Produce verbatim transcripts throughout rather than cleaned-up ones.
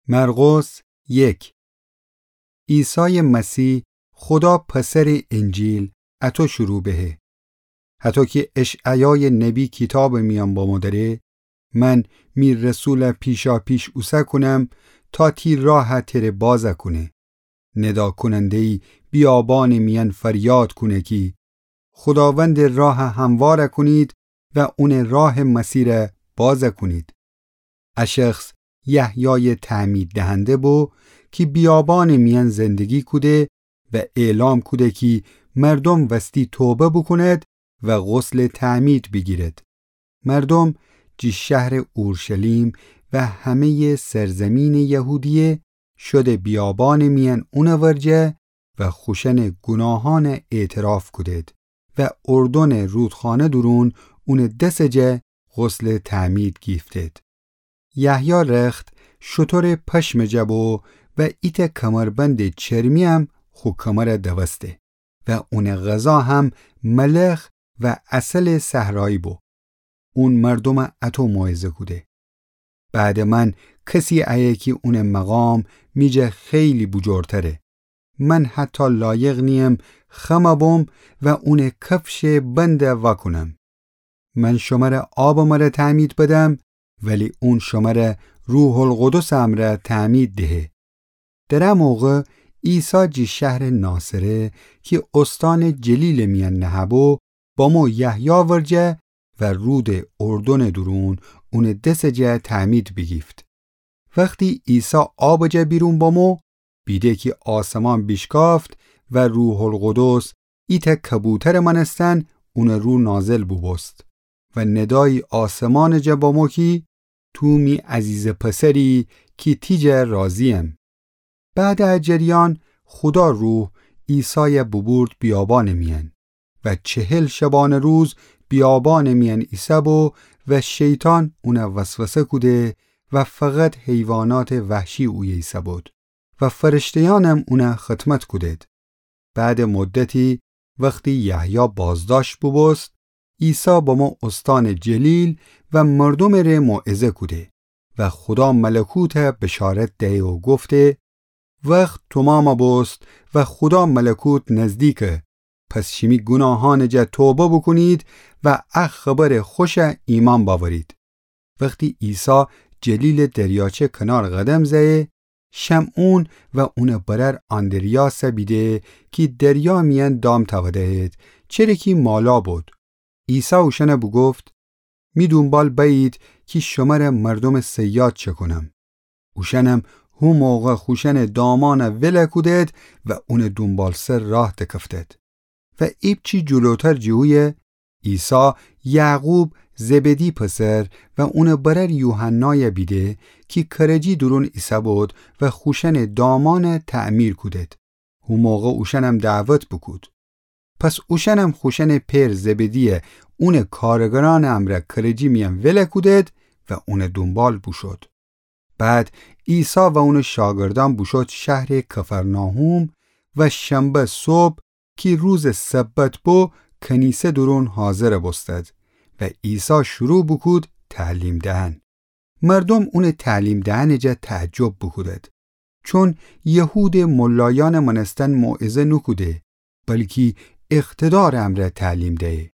مرقس یک. عیسای مسیح، خودا پسرٚ انجیل، اطو شروع بهه. هطو کی اشعیای نبی کیتابٚ میأن بمو دره، من می رسول پیشاپیش اوسه کونم تا تی راه تره باز کونه. ندا کوننده‌یی بیابانٚ میأن فریاد کونه کی خوداوندٚ راه هموار کونید و اونٚ راه مسیر باز کونید. ا شخص یحیای تعمید دهنده بو کی بیابانٚ میأن زندگی کوده و اعلام کوده کی مردوم وستی توبه بوکوند و غسلٚ تعمید بیگیرد. مردوم جی شهرٚ اورشلیم و همه‌یٚ سرزیمینٚ یهودیه شده بیابانٚ میأن اونٚ ورجه و خوشأنٚ گوناهأن اعتراف کودد و اردنٚ رودخانه دورون اونٚ دسٚ جا غسلٚ تعمید گیفتد. یحیی رخت شترٚ پشمٚ جا بو و ایتأ کمربندٚ چرمی‌یم خو کمر دوسته و اونٚ غذا هم ملخ و عسلٚ صحرایی بو. اون مردوم اطو موعظه کوده: بعدٚ من کسی ایه کی اونٚ مقام می جا خیلی بوجورتره. من حتی لایق نییم خم بوم و اونٚ کفشٚ بند واکونم. من شمر آبٚ مره تعمید بدم، ولی اون شمر روح‌القدسٚ امرأ تعمید دهه. در ا موقع عیسی جی شهرٚ ناصره کی استانٚ جلیلٚ میأن نهه‌بو، بامو یحیی ورجه و رودٚ اردنٚ دورون اونٚ دسٚ جا تعمید بیگیفت. وختی عیسی آبٚ جا بیرون بامو، بیده کی آسمان بیشکافت و روح‌القدس ایتأ کبوترٚ مأنستن اونٚ رو نازل بوبوست و ندایی آسمانٚ جا بامو کی تو می عزیزٚ پسری کی تی جا راضی‌یم. بعدٚ ا جریان خودا روح عیسای بوبورد بیابانٚ میأن و چهل شبانه روز بیابانٚ میأن ایسه‌بو و شیطان اون وسوسه کوده و فقط حیواناتٚ وحشی اویه ایسه‌بود و فرشته‌یأنم اون خدمت کودد. بعدٚ مدتی وختی یحیی بازداشت بوبوست، عیسی بامو استانٚ جلیل و مردومٚ ره موعظه کوده و خودا ملکوت بشارت دهه و گفته: وخت تومام بوست و خودا ملکوت نزدیکه. پس شیمی گوناهأنٚ جا توبه بوکونید و ا خبرٚ خوش ایمأن بأورید. وختی عیسی جلیلٚ دریاچه کنار قدم زهه، شمعون و اونٚ برأر آندریاس بیده کی دریا میأن دام تأوده‌ید، چره کی مالا بود. عیسی اوشأن بوگفت: می دونبال بأیید کی شمر مردومٚ صیاد چکونم. اوشأنم هو موقع خوشأنٚ دامأن ول کودد و اونٚ دونبالسر راه دکفتد. و ایپچی جلوتر جٚه اویه، عیسی یعقوب، زبدی پسر، و اونٚ برأر یوحنای بیده کی کرجی دورون ایسه‌بود و خوشأنٚ دامأن تعمیر کودد. هو موقع اوشأنم دعوت بوکود. پس اوشأنم خوشأنٚ پئر زبدی اونٚ کارگرأنٚ امرأ کرجی میأن ول کودد و اونٚ دونبال بوشود. بعد عیسی و اونٚ شاگردأن بوشود شهرٚ کفرناحوم و شنبه صبح کی روزٚ سبت بو، کنیسه دورون حاضر بوستد و عیسی شروع بوکود تعلیم دهن. مردوم اونٚ تعلیم دهنٚ جا تعجب بوکودد، چون یهودٚ ملایأنٚ مأنستن موعظه نوکوده، بلکی اقتدارٚ امرأ تعلیم دهه.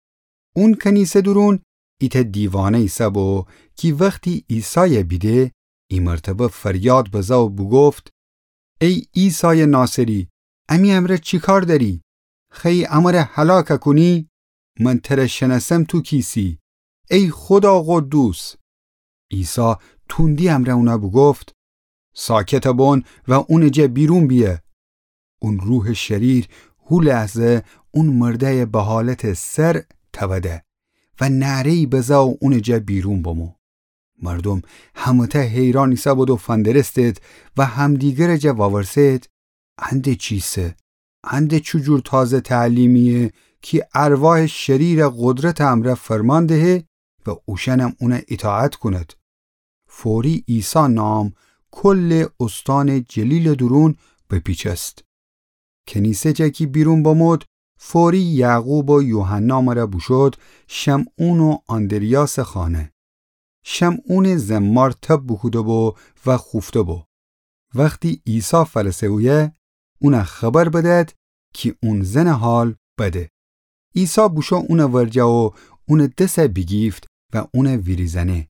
اون کنیسه دورون ایتأ دیوانه ایسه‌بو کی وختی عیسای بیده، ای مرتبه فریاد بزه و بوگفت: ای عیسایٚ ناصری، امی امرأ چی کار دأری؟ خوأیی امر هلاک کونی؟ من تر شنأسم تو کیسی، ای خودا قدوس. عیسی توندی امرأ اون بوگفت: ساکت بون و اونٚ جا بیرون بیه. اون روحٚ شریر هو لحظه اون مردأی به حالتٚ صرع تأوده و نعره‌یی بزه و اونٚ جا بیرون بمو. مردوم همه‌تأ حیران ایسه‌بود و فندرستید و همدیگرٚ جا وورسید: ان ده چیسه؟ ان ده چوجور تازه تعلیمیه کی ارواحٚ شریرٚ قدرتٚ امرأ فرمان دهه و اوشأنم اون ایطاعت کونید؟ فوری عیسی نام کلٚ استانٚ جلیلٚ دورون بپیچست. کنیسه جا کی بیرون بمود، فوری یعقوب و یوحنا مره بوشود شمعون و آندریاسٚ خانه. شمعونٚ زمار تب بوکوده‌بو و خوفته‌بو. وختی عیسی فأرسه اویه، اون خبر بدأد کی اون زنٚ حال بده. عیسی بوشو اونٚ ورجه و اونٚ دس بیگیفت و اون ویریزأنه.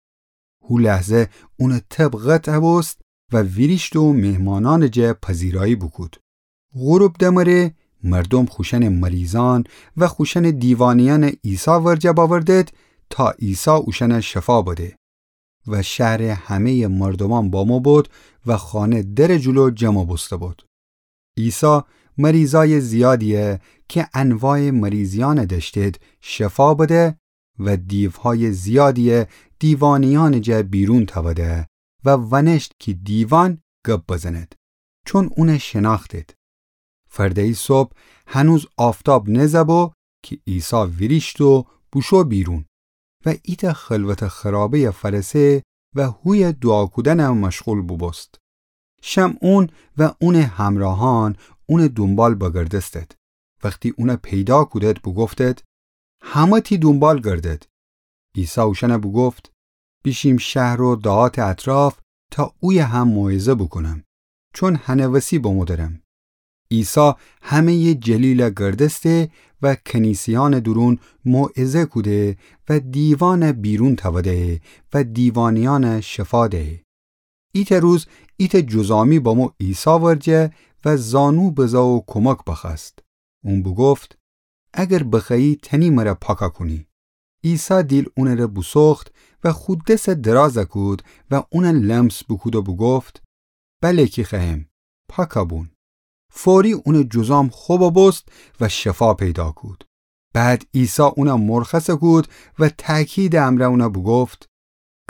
هو لحظه اونٚ تب قطع بوست و ویریشت و مهمانأنٚ جا پذیرایی بوکود. غروب دمره مردوم خوشأنٚ مریضأن و خوشأنٚ دیوانه‌یأن عیسی ورجه بأوردد تا عیسی اوشأن شفا بده. و شهرٚ همه‌یٚ مردومأن بامو بد و خانه درٚ جلو جمع بوسته بد. عیسی مریضای زیادیی کی انواعٚ مریضیأن دأشتید شفا بده و دیوهای زیادیی دیوانه‌یأنٚ جا بیرون تأوده و وأنشت کی دیوان گب بزند، چون اون شنأختید. فرده‌یی صبح هنوز آفتاب نزأ بو کی عیسی ویریشت و بوشو بیرون و ایتأ خلوتٚ خرابه‌یی فأرسه و هویه دوعا کودن مشغول بوبوست. شمعون و اونٚ همراهأن اونٚ دونبال بگردستید. وختی اون پیدا کودید بوگفتید: همه تی دونبال گردید. عیسی اوشأن بوگفت: بیشیم شهر و دهاتٚ اطراف تا اویه هم موعظه بوکونم، چون هنٚ وسی بمو درم. عیسی همه‌یٚ جلیل گردسته و کنیسه‌یأنٚ دورون موعظه کوده و دیوان بیرون تأوده و دیوانه‌یأن شفا دهه. ایتأ روز ایتأ جذامی بامو عیسی ورجه و زانو بزا و کمک بخوأست. اون بوگفت: اگر بخوأیی تأنی مر پاکا کونی. عیسی دیل اونٚ ره بوسوخت و خو دس درازه کود و اون لمس بوکود و بوگفت: بله کی خوأیم، پاکا بون. فوری اونٚ جذام خو ببوست و شفا پیدا کود. بعد عیسی اون مرخص کود و تأکیدٚ امرأ اون بوگفت: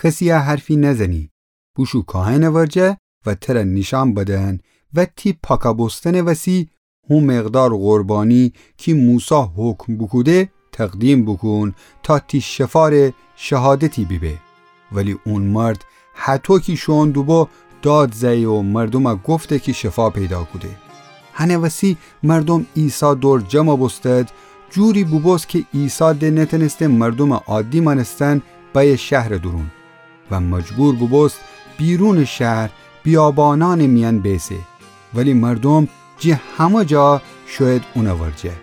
کسیی حرفی نزنی. بوشو کاهنٚ ورجه و تر نیشأن بدن و تی پاکا بوستنٚ وسی هو مقدار قربانی کی موسی حکم بوکوده تقدیم بوکون تا تی شفا ره شهادتی بیبه. ولی اون مرد هطو کی شوئون دوبو داد زأیه و مردوم گفته کی شفا پیدا کوده. هنٚ وسی مردوم عیسی دور جمع بوستد، جوری بوبوست کی عیسی د نتأنسته مردومٚ عادی مأنستن بأیه شهرٚ دورون و مجبور بوبوست بیرونٚ شهر بیابانأنٚ میأن بیسه. ولی مردوم جٚه همه جا شویید اونٚ ورجه.